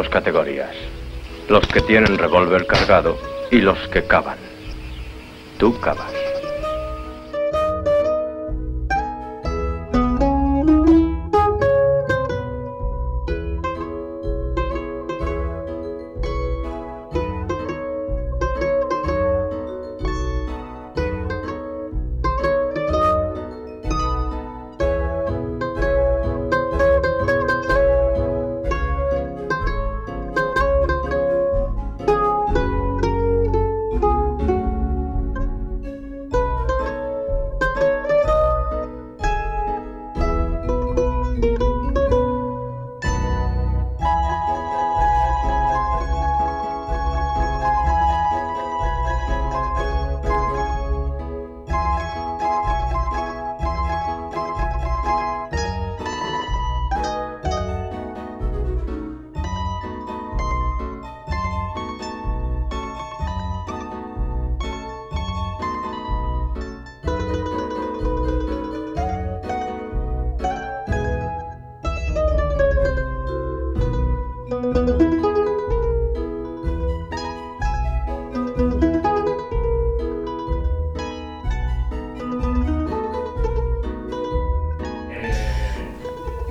Dos categorías. Los que tienen revólver cargado y los que cavan. Tú cavas.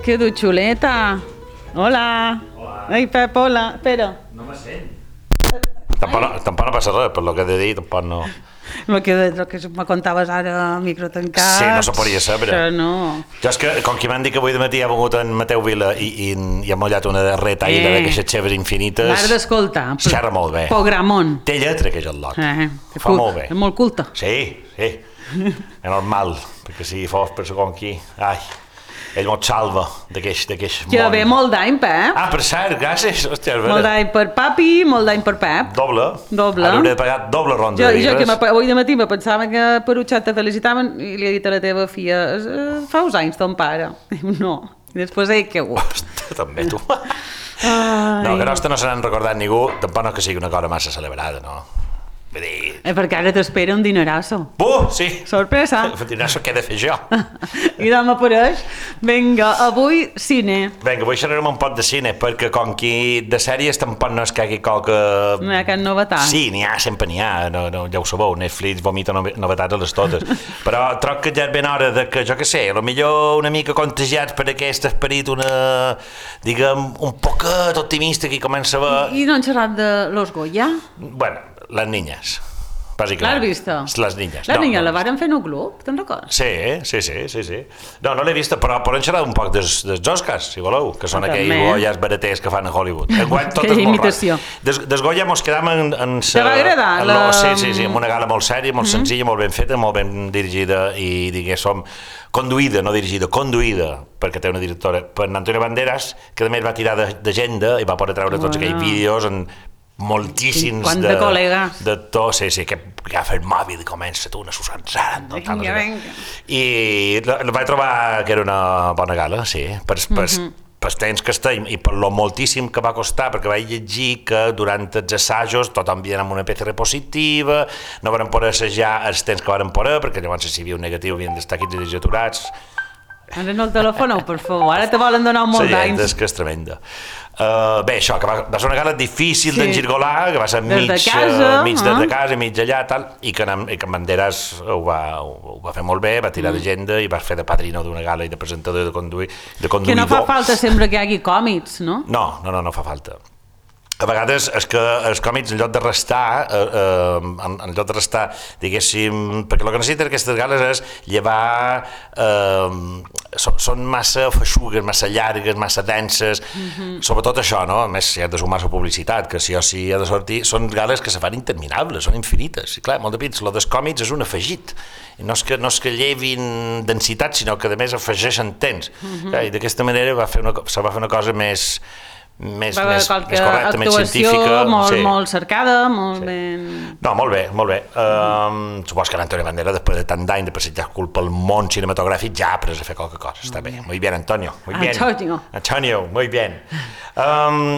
Que du xuleta. Hola. Hola. Ai, Pep, hola. Espera. No me sent. Tampoc no passa res, per lo que he de dir, tampoc no... Lo que me contaves ara, micro tancat. Sí, no se podia saber. Això no. Jo és que, com que m'han dit que avui de matí ha vingut en Mateu Vila i ha mullat una retaïda d'aquestes xeves infinites... L'has d'escoltar. Xerra molt bé. Programón. Té lletra, que és el lot. Fa molt bé. És molt culta. Sí. És normal, perquè si fos per segon qui... Ai, ell mos salva d'aquest món. Que ve molt d'any, Pep. Ah, per cert, gràcies. Hòstia, molt d'any per papi, molt d'any per Pep. Doble. Ara hauré de pagar doble ronda de jo birres. que avui de matí me pensava que per Utxat te felicitaven i li he dit a la teva filla fa uns anys ton pare. Diu, no. I després he caigut. Ostres, també tu. No, que no se n'han recordat ningú, tampoc no que sigui una cosa massa celebrada, no? Vull dir... perquè ara t'espera un dinerasso. Sí! Sorpresa! Un dinerasso que he de fer jo. I no m'apareix. Vinga, avui cine. Vinga, avui xerrarem un poc de cine, perquè com que de sèries tampoc no és que hi hagi qualque... No hi ha cap novetat. Sí, sempre n'hi ha, no, ja ho sabeu, Netflix vomita novetats a les totes. Però troc que ja és ben hora de que, jo què sé, potser una mica contagiats per aquest esperit, diguem, un poquet optimista que comença a haver... I no han xerrat de Los Goya? Bueno, les niñas, bàsicament. L'has vista? Les niñas. Les niñas la varen fer en un club, te'n recordes? Sí. No l'he vista, però podem xerrar un poc dels Oscars, si voleu, que són aquells Goyas baraters que fan a Hollywood. Que imitació. Des Goya mos quedam en... Te va agradar? Sí, amb una gala molt sèria, molt senzilla, molt ben feta, molt ben dirigida i, diguéssim, conduïda, no dirigida, conduïda, perquè té una directora, per Antonio Banderas, que a més va tirar d'agenda i va poder treure tots aquells vídeos en moltíssims de col·legues de tot, sí, que agafa el mòbil i comença tu una Susanzara i vaig trobar que era una bona gala, sí, pels temps que estem i per lo moltíssim que va costar, perquè vaig llegir que durant els assajos tothom havia amb una PCR positiva, no van poder assajar els temps que van poder, perquè llavors si hi havia un negatiu havien d'estar 15 dies aturats. Ara no el telefoneu, per favor, ara te volen donar un molt d'anys. És que és tremenda. Bé, això, que va ser una gala difícil d'engirgolar, que va ser mig de casa, mig allà, tal, i que en Banderas ho va fer molt bé, va tirar d'agenda i va fer de padrino d'una gala i de presentador i de conduïdor. Que no fa falta sempre que hi hagi còmics, no? No fa falta. A vegades és que els còmics, en lloc de restar, diguéssim, perquè el que necessiten aquestes gales és llevar, són massa feixugues, massa llargues, massa denses, sobretot això, no? A més, si has de sumar la publicitat, que sí o sí ha de sortir, són gales que se fan interminables, són infinites, i clar, molt de pits, el dels còmics és un afegit, i no és que llevin densitat, sinó que a més afegeixen temps, i d'aquesta manera se va fer una cosa més correcta, més científica. Molt cercada, molt ben... No, molt bé. Supos que l'Antonio Banderas, després de tant d'any de passejar culpa al món cinematogràfic, ja ha après a fer qualque cosa. Està bé. Muy bien, Antonio. Antonio, muy bien.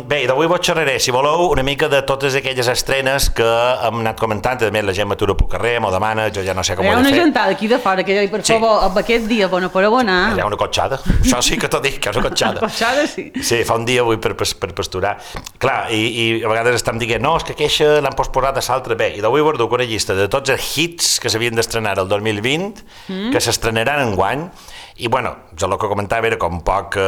Bé, d'avui vos xerraré, si voleu, una mica de totes aquelles estrenes que hem anat comentant, a més la gent m'atura pel carrer, m'ho demana, jo ja no sé com ho he de fer. Hi ha una gentada aquí de fora, que jo, per favor, amb aquest dia, bona per abonar. Hi ha una cotxada, això sí que t'ho dic, que és una cotxada. Cotxada, sí. Sí, fa un dia avui per passar per pasturar. Clar, i a vegades estem dient, no, és que aquesta l'han posposat a l'altre. Bé, i d'avui guardo una llista de tots els hits que s'havien d'estrenar el 2020, que s'estrenaran enguany, i bueno, jo el que comentava era com un poc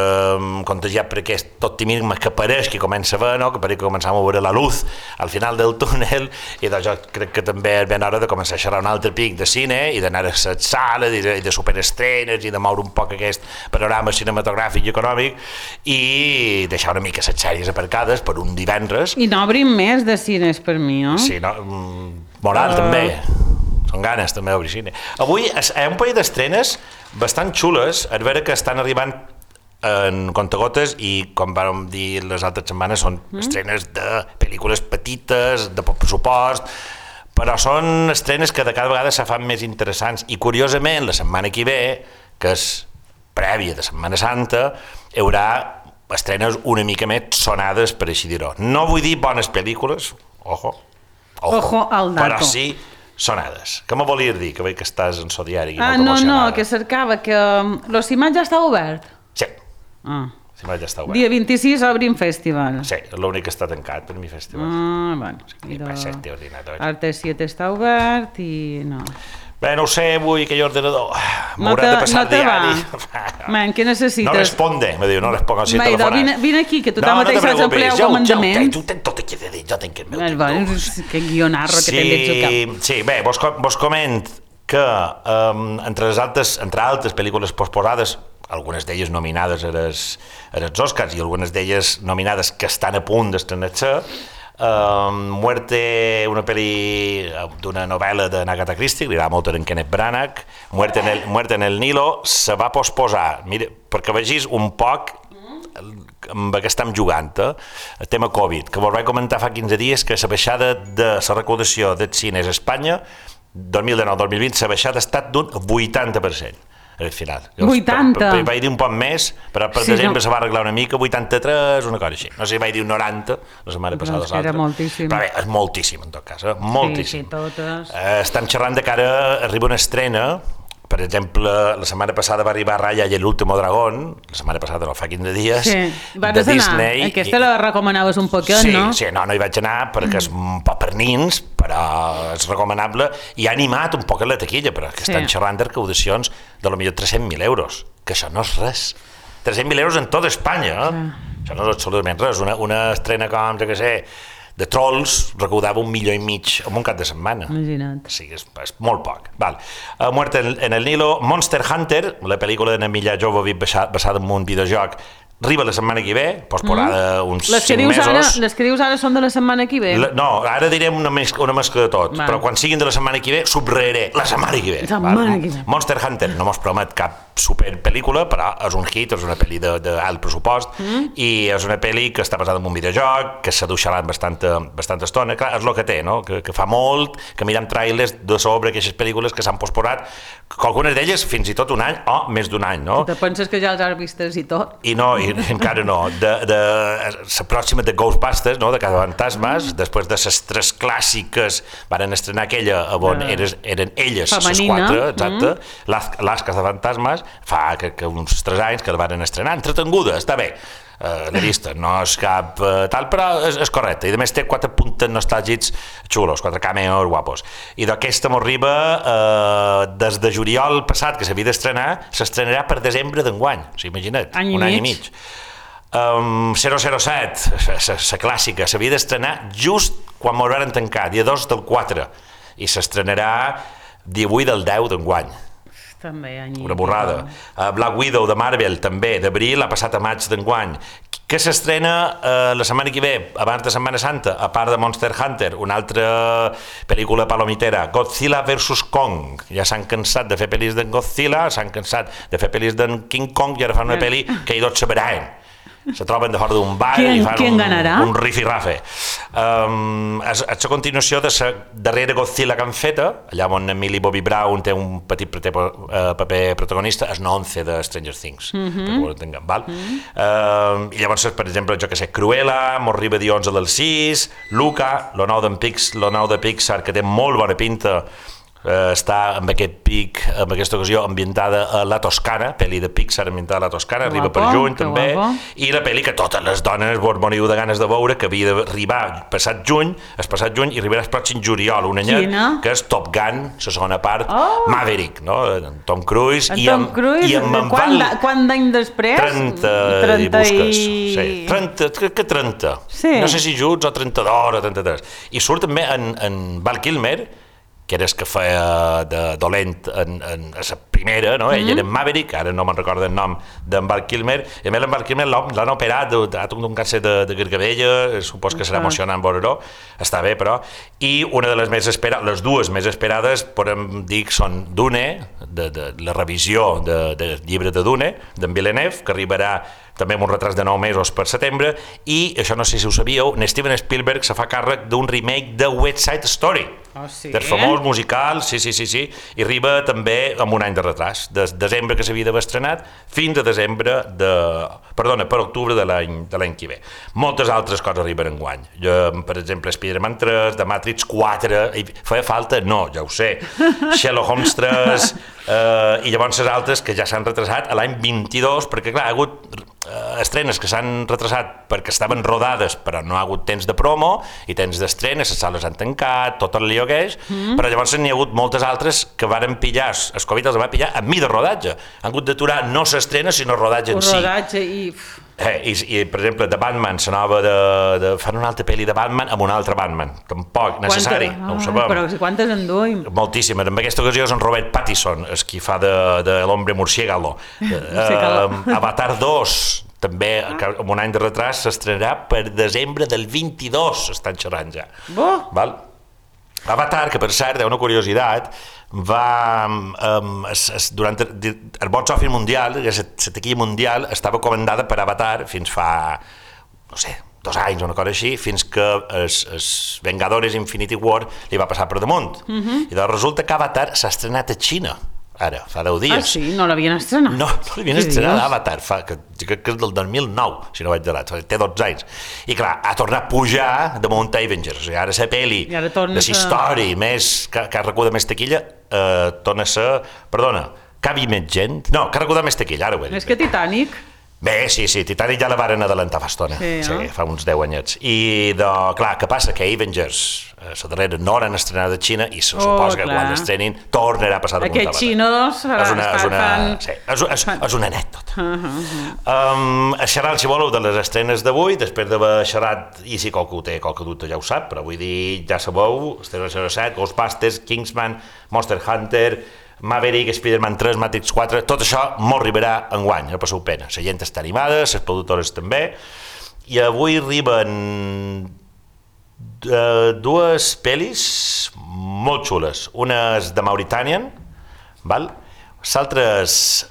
contagiat per aquest optimisme que pareix que comença a veure, no? Que pareix que començam a veure la luz al final del túnel, i doncs jo crec que també és ben hora de començar a xerrar un altre pic de cine i d'anar a les sales i de superestrenes i de moure un poc aquest panorama cinematogràfic i econòmic i deixar una mica les sèries aparcades per un divendres. I no obrim més de cines per mi, no? Sí, no? Moral també. Són ganes també d'obrir cine. Avui hi ha un parell d'estrenes bastant xules, a veure que estan arribant en comptagotes i, com vam dir les altres setmanes, són estrenes de pel·lícules petites, de poc pressupost, però són estrenes que de cada vegada se fan més interessants i, curiosament, la setmana que ve, que és prèvia de Setmana Santa, hi haurà estrenes una mica més sonades, per així dir-ho. No vull dir bones pel·lícules, ojo al dato. però sí sonades. Què me volies dir? Que veig que estàs en so diari. No, que cercava que l'Ocimat ja està obert. Sí, l'Ocimat ja està obert. Dia 26 obrim festival. Sí, és l'únic que està tancat per mi festival. Bueno. I passa el teu ordinador. Arte 7 està obert i no. Bé, no ho sé, avui aquell ordenador m'haurà de passar diari. Man, què necessites? No responde, me diu, no responc al telefonat. Vine aquí, que tu mateix saps emplear el comandament. Tu tens tot aquí de dir, jo tenc el meu temps. Que guionarro que també ets al cap. Sí, bé, vos coment que entre altres pel·lícules posposades, algunes d'elles nominades a els Oscars i algunes d'elles nominades que estan a punt d'estrenar-se, Muerte, una pel·li d'una novel·la de Agatha Christie, li agrada molt en Kenneth Branagh, Muerte en el Nilo, se va posposar, mira, perquè vegis un poc amb què estem jugant, el tema Covid, que vos vaig comentar fa 15 dies que la baixada de la recaudació dels cines a Espanya 2019-2020, la baixada ha estat d'un 80%. Al final. 80? Vaig dir un poc més, però per desembre se va arreglar una mica, 83, una cosa així. No sé si vaig dir un 90, la setmana passada. Però era moltíssim. Però bé, és moltíssim, en tot cas, moltíssim. Sí, totes. Estem xerrant de que ara arriba una estrena, per exemple, la setmana passada va arribar Raya i l'último dragón, la setmana passada no, fa 15 dies, de Disney. Aquesta la recomanaves un poquet, no? Sí, no hi vaig anar perquè és un poc per nins, però és recomanable i ha animat un poc la taquilla, però que estan xerrant de recaudacions de potser 300.000 euros, que això no és res. 300.000 euros en tota Espanya, això no és absolutament res. Una estrena com, jo què sé, de Trolls recaudava 1,5 milions en un cap de setmana. Imagina't. Sí, és molt poc. Val. Muerte en el Nilo, Monster Hunter, la pel·lícula de Milla Jovovich basada en un videojoc, arriba la setmana que ve, posposada uns 5 mesos. Les que dius ara són de la setmana que ve? No, ara direm una mescla de tot, però quan siguin de la setmana que ve, subratllaré la setmana que ve. Monster Hunter no mos promet cap superpel·lícula, però és un hit, és una pel·li d'alt pressupost, i és una pel·li que està basada en un videojoc, que s'ha duixat bastanta estona. Clar, és el que té, no? Que fa molt, que mirem trailers de sobre aquestes pel·lícules que s'han posposat, que algunes d'elles fins i tot un any o més d'un any, no? Te penses que ja els has vistes i tot? I no, encara no. La pròxima de Ghostbusters, no? De Cazafantasmes, després de les 3 clàssiques van estrenar aquella on eren elles les 4, exacte, les Cazafantasmes, fa que uns 3 anys que la van estrenar, entretenguda, està bé. L'he vista, no és cap tal, però és correcte, i a més té 4 puntes nostàlgics xulos, 4 cameos guapos, i d'aquesta m'arriba des de juliol passat que s'havia d'estrenar, s'estrenarà per desembre d'enguany, o sigui, imagina't, un any i mig. 007, la clàssica, s'havia d'estrenar just quan m'ho van tancar, dia 2 del 4, i s'estrenarà 18 del 10 d'enguany. Una borrada. Black Widow de Marvel també, d'abril, ha passat a maig d'enguany. Que s'estrena la setmana que ve, abans de Setmana Santa, a part de Monster Hunter, una altra pel·lícula palomitera, Godzilla vs. Kong. Ja s'han cansat de fer pel·lis d'en Godzilla, s'han cansat de fer pel·lis d'en King Kong i ara fan una pel·li que tots sabran. Se troben de fora d'un bar i fan un rifirrafe. És la continuació de la darrera Godzilla que han feta, allà on Millie Bobby Brown té un petit paper protagonista, és 11 de Stranger Things, perquè ho entenguem, val? I llavors, per exemple, jo que sé, Cruella, mos arriba dia 11 del 6, Luca, lo nou de Pixar, que té molt bona pinta, està amb aquest pic, en aquesta ocasió ambientada a la Toscana, pel·li de Pixar ambientada a la Toscana, arriba per juny també, i la pel·li que totes les dones vos moriu de ganes de veure, que havia d'arribar el passat juny i arribarà el pròxim juliol, un anyet, que és Top Gun, la segona part, Maverick, no? Tom Cruise, i amb quant d'any després? 30 i busques, sí, 30, crec que 30, no sé si junts o 32 o 33, i surt també en Val Kilmer, que era el que feia de dolent en la primera, no? Ell era en Maverick, ara no me'n recordo el nom d'en Val Kilmer, i a més en Val Kilmer l'han operat, ha tingut un càncer de gargabella, supos que serà emocionant veure-ho, està bé però, i una de les més esperades, les dues més esperades, podem dir que són Dune, de la revisió del llibre de Dune, d'en Villeneuve, que arribarà també amb un retras de 9 mesos per setembre, i això no sé si ho sabíeu, Steven Spielberg se fa càrrec d'un remake de West Side Story, del famós musical, sí, i arriba també amb un any de retras, de desembre que s'havia d'haver estrenat fins a per octubre de l'any que ve. Moltes altres coses arriben enguany, per exemple Spider-Man 3, The Matrix 4, feia falta? No, ja ho sé, Sherlock Holmes 3, i llavors les altres que ja s'han retrasat a l'any 22, perquè clar, ha hagut estrenes que s'han retrasat perquè estaven rodades però no ha hagut temps de promo i temps d'estrenes, les sales han tancat, tot el lío que és, però llavors n'hi ha hagut moltes altres que varen pillar, el Covid els va pillar a mi de rodatge, han hagut d'aturar no s'estrena sinó rodatge en si. I per exemple de Batman, la nova fan una altra pel·li de Batman amb un altre Batman, tampoc necessari, no ho sabem. Però quantes en duim? Moltíssimes, en aquesta ocasió és en Robert Pattinson, el qui fa de l'hombre murciélago. Avatar 2, també amb un any de retras, s'estrenarà per desembre del 22, estan xerrant ja. Avatar, que per cert, una curiositat, durant el box office mundial, la taquilla mundial, estava comandada per Avatar fins fa, no sé, 2 anys o una cosa així, fins que els Vengadores Infinity War li va passar per damunt. I doncs resulta que Avatar s'ha estrenat a Xina, ara, fa 10 dies. Ah, sí? No l'havien estrenat? No l'havien estrenat Avatar, que crec que és del 2009, si no vaig errat, té 12 anys. I clar, ha tornat a pujar damunt Avengers, o sigui, ara la pel·li de la història que ha recudat més taquilla, torna a ser, perdona, que ha vist més gent, no, que ha recudat més taquilla, ara ho he dit. És que Titanic... Bé, sí, Titanic ja la varen adelantar fa estona, fa uns 10 anyets. I, clar, què passa? Que Avengers, la darrera, no l'han estrenat a Xina i se suposa que quan l'estrenin tornarà a passar damunt Avatar. Aquests xinos... És una anècdota. Xerrant, si voleu, de les estrenes d'avui, després d'haver xerrat, i si qualcú té qualque dubte ja ho sap, però vull dir, ja sabeu, Estrella 07, Ghostbusters, Kingsman, Monster Hunter, Maverick, Spider-Man 3, Matrix 4, tot això molt arribarà enguany, no passeu pena. La gent està animada, les productores també, i avui arriben 2 pel·lis molt xules. Una és de Mauritanian, l'altra és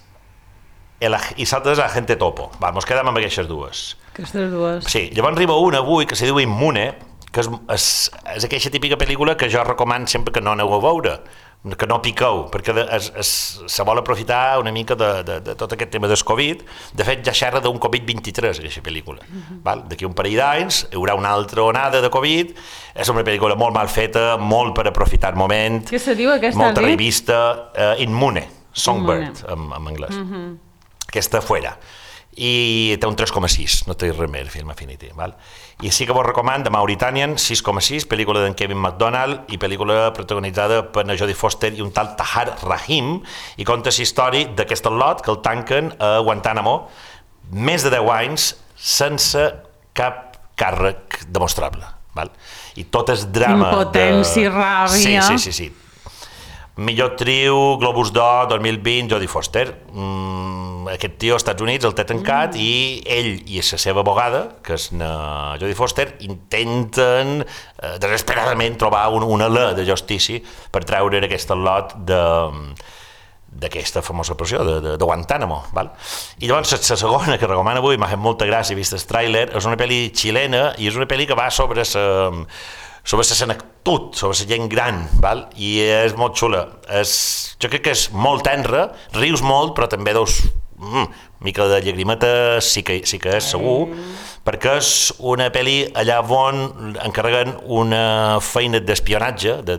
Agente Topo. Mos quedem amb aquestes dues. Aquestes dues. Sí, llavors arriba una avui que se diu Immune, que és aquella típica pel·lícula que jo recomano sempre que no aneu a veure, que no piqueu, perquè se vol aprofitar una mica de tot aquest tema del Covid. De fet, ja xerra d'un Covid-23, aquesta pel·lícula. D'aquí un parell d'anys hi haurà una altra onada de Covid, és una pel·lícula molt mal feta, molt per aprofitar el moment, què se diu aquesta? Molta revista, Immune, Songbird, en anglès. Aquesta Fuera. I té un 3,6, no té res més, Film Affinity. I sí que vos recomano de Mauritanian, 6,6, pel·lícula d'en Kevin McDonald i pel·lícula protagonitzada per Jodie Foster i un tal Tahar Rahim, i conta la història d'aquest lot que el tanquen a Guantánamo més de 10 anys sense cap càrrec demostrable. I tot és drama. Impotència, ràbia. Sí. Millor actriu, Globus d'Or 2020, Jodie Foster. Aquest tio als Estats Units el té tancat i ell i la seva abogada, que és Jodie Foster, intenten desesperadament trobar una alè de justícia per treure aquest lot d'aquesta famosa pressió de Guantánamo. I llavors la segona que recomano avui, m'ha fet molta gràcia vist el tràiler, és una pel·li xilena i és una pel·li que va sobre la senectut, sobre la gent gran, i és molt xula. Jo crec que és molt tenra, rius molt, però també mica de llagrimeta sí que és segur, perquè és una pel·li allà on encarreguen una feina d'espionatge, de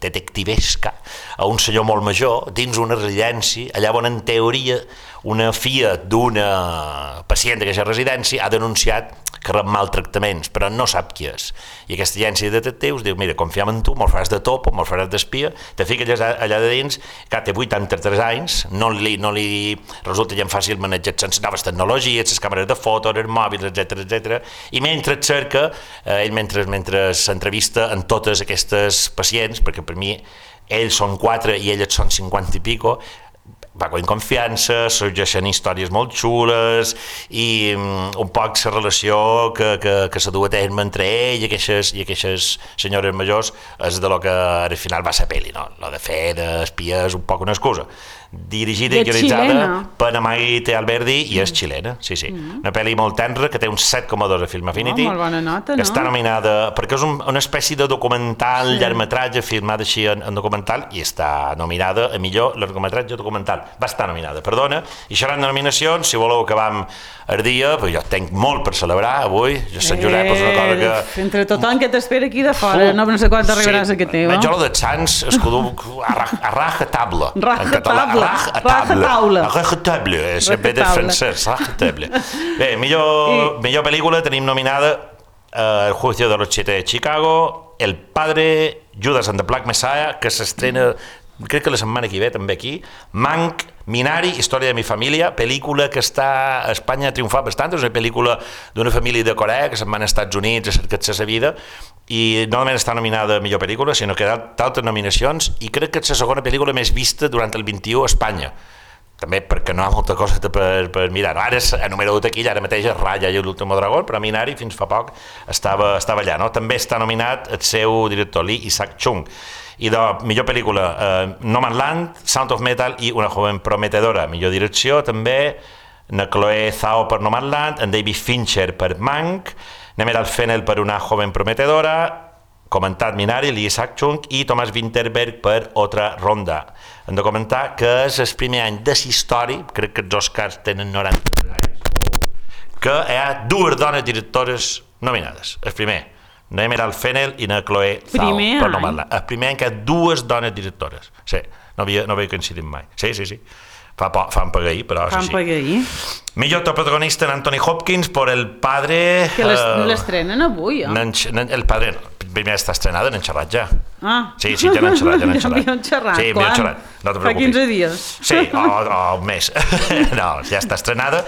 detectivesca, a un senyor molt major, dins una residència, allà on en teoria una filla d'una pacient d'aquesta residència ha denunciat que rep maltractaments, però no sap qui és. I aquesta agència de detectius diu, mira, confiem en tu, me'l faràs de topo, me'l faràs d'espia, te fiques allà de dins, que té 83 anys, no li resulta gens fàcil manejar les noves tecnologies, les càmeres de fotos, els mòbils, etc. I mentre et cerca, ell mentre s'entrevista en totes aquestes pacients, perquè per mi ells són 4 i elles són 50 i pico, va con confiança, sorgeixen històries molt xules i un poc la relació que se du a terme entre ell i aquestes senyores majors és de lo que al final va ser pel·li, no? Lo de fer d'espia és un poc una excusa. Dirigida i guionitzada per Maite Alberdi i és xilena, sí. Una pel·li molt tenra que té un 7,2 a Film Affinity, molt bona nota, no? Que està nominada, perquè és una espècie de documental, llargmetratge filmat així en documental, i està nominada a millor llargmetratge documental. Va estar nominada, perdona, i seran nominacions, si voleu acabam el dia, però jo tenc molt per celebrar avui, jo Sant Josep és una cosa que... Entre tothom que t'espera aquí de fora, no sé quan arribaràs a aquest teu. Jo lo de Sants es que a raja tabla, en català. Raja-table, sempre de francès, raja-table. Bé, millor pel·lícula tenim nominada El juicio de los 7 de Chicago, El padre, Judas and the Black Messiah, que s'estrena, crec que la setmana que ve també aquí, Mank, Minari, Història de mi família, pel·lícula que està a Espanya ha triomfat bastant, és una pel·lícula d'una família de Corea que se'n van als Estats Units a cercar la vida, i no només està nominada a millor pel·lícula, sinó que d'altres nominacions, i crec que és la segona pel·lícula més vista durant el 21 a Espanya. També perquè no hi ha molta cosa per mirar. Ara enumero aquí, ara mateix és Raya i l'últim dragó, però Minari fins fa poc estava allà. No? També està nominat el seu director, Lee Isaac-Chung. I de millor pel·lícula, Nomadland, Sound of Metal i Una joven prometedora. Millor direcció també, na Chloe Zhao per Nomadland, en David Fincher per Mank, Nemeral Fennell per Una joven prometedora, comentat Minari, Lee Isaac-Chung i Thomas Vinterberg per Otra ronda. Hem de comentar que és el primer any de història, crec que els Oscars tenen 90 anys, que hi ha 2 dones directores nominades. El primer, Nemeral Fennell i na Chloe Zhao per Nomadland. El primer any que hi ha 2 dones directores. Sí, no havia coincidit mai. Sí. Fan pagar-hi, però és així. Millor protagonista en Anthony Hopkins per El padre... Que l'estrenen avui, El padre, primer està estrenada, n'hem xerrat ja. Sí, ja n'hem xerrat. Havíem xerrat, sí, quan? No fa 15 dies. Sí, o un mes. No, ja està estrenada.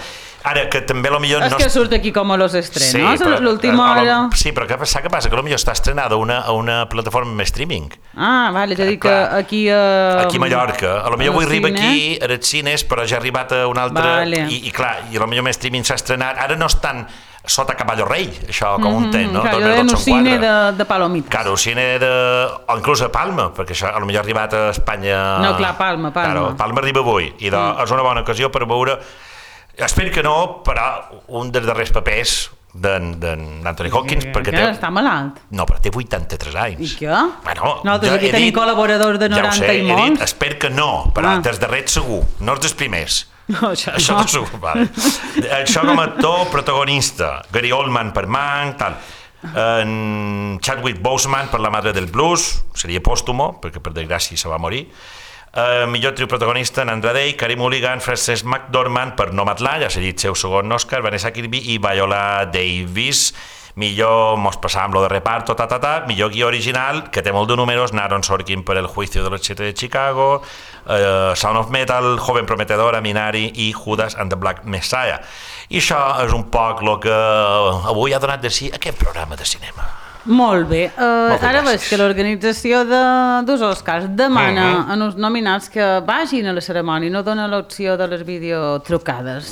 Ara, que també potser... És que surt aquí com a los estrenos, a l'última hora. Sí, però què passa? Que potser està estrenada a una plataforma de streaming. Vale, és a dir que aquí... Aquí a Mallorca. A potser avui arriba aquí, a els cines, però ja ha arribat a un altre... I clar, i a potser més streaming s'ha estrenat. Ara no estan sota Caballo Rei, això com un ten, no? Clar, jo un cine de palomites. Claro, un cine o inclús a Palma, perquè això potser ha arribat a Espanya... No, clar, Palma. Claro, Palma arriba avui, i és una bona ocasió per veure... Espero que no, però un dels darrers papers d'Anthony Hopkins, perquè està malalt. No, però té 83 anys. I què? Bueno, nosaltres aquí tenim col·laboradors de 90 i molts. Espero que no, però dels darrers segur, no els dels primers. No, això no. Segur, vale. Això com a actor protagonista, Gary Oldman per Mank, tal. Chadwick Boseman per La madre del blues, seria pòstumo, perquè per desgràcia se va morir. Millor trio protagonista en Andra Day, Carey Mulligan, Frances McDormand per Nomadland, ja s'ha dit seu segon Oscar, Vanessa Kirby i Viola Davis. Millor, mos passàvem lo de reparto, millor guió original, que té molt de números, Aaron Sorkin per El juicio de los 7 de Chicago, Sound of Metal, Joven prometedora, Minari i Judas and the Black Messiah. I això és un poc el que avui ha donat de si aquest programa de cinema. Molt bé. Ara veig que l'organització dels Oscars demana a uns nominats que vagin a la cerimònia i no dona l'opció de les videotrucades.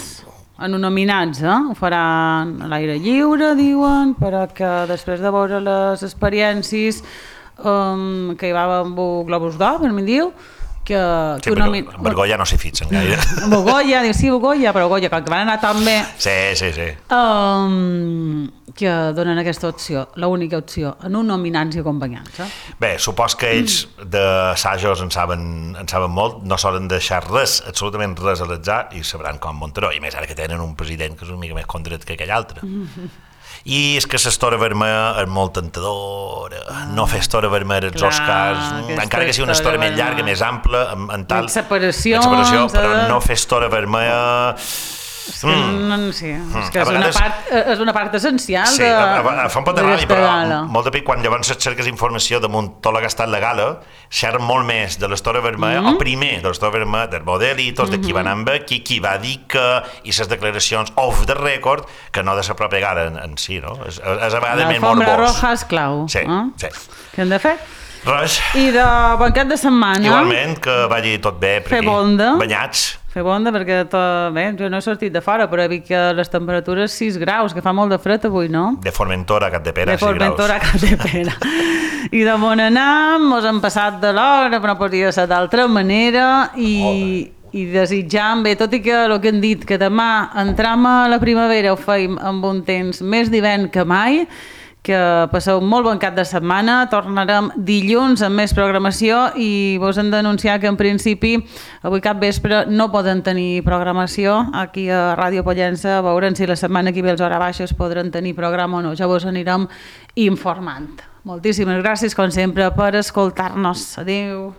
En uns nominats, ho faran a l'aire lliure, diuen, però que després de veure les experiències que hi va amb el Globus d'Or, per mi diu, Sí, Bergolla no s'hi fixen gaire. Bogoya, diu, sí, Bogoya, però Bogoya, com que van anar tan bé... Sí. Que donen aquesta opció, l'única opció, en un nominants i acompanyants. Bé, supos que ells d'assajos en saben molt, no solen deixar res, absolutament res a l'atzar, i sabran com Montero, i més ara que tenen un president que és una mica més condret que aquell altre. I és que l'estora vermella és molt tentadora, no fer estora vermella als Oscars, encara que sigui una estora més llarga, més ampla, en tal... Separació, però no fer estora vermella... És que és una part essencial fa un pot de ràbia, però gala. molt de pic quan llavors cerques informació damunt tot el que ha estat la gala, xerren molt més de l'estora vermella, o primer de l'estora vermella, dels modelitos, de qui va anar amb aquí, qui va dir que, i les declaracions off the record, que no de la pròpia gala en si, no? És a vegades més morbós. L'alfombra roja és clau. Sí. Què hem de fer? Res. I de banquet de setmana... Igualment, que vagi tot bé per aquí. Fer bonda. Banyats. Fer bonda, perquè bé, jo no he sortit de fora, però he vist que les temperatures 6 graus, que fa molt de fred avui, no? De Formentora a Capdepera, 6 graus. De Formentora a Capdepera. I de Monanam mos hem passat de l'hora, però no podia ser d'altra manera, i desitjant, bé, tot i que el que hem dit, que demà entram a la primavera ho feim amb un temps més d'hivern que mai, que passeu molt bon cap de setmana, tornarem dilluns amb més programació i vos hem d'anunciar que en principi avui cap vespre no poden tenir programació aquí a Ràdio Pollença, veurem si la setmana que ve els hora baixes podran tenir programa o no, ja vos anirem informant. Moltíssimes gràcies com sempre per escoltar-nos. Adéu.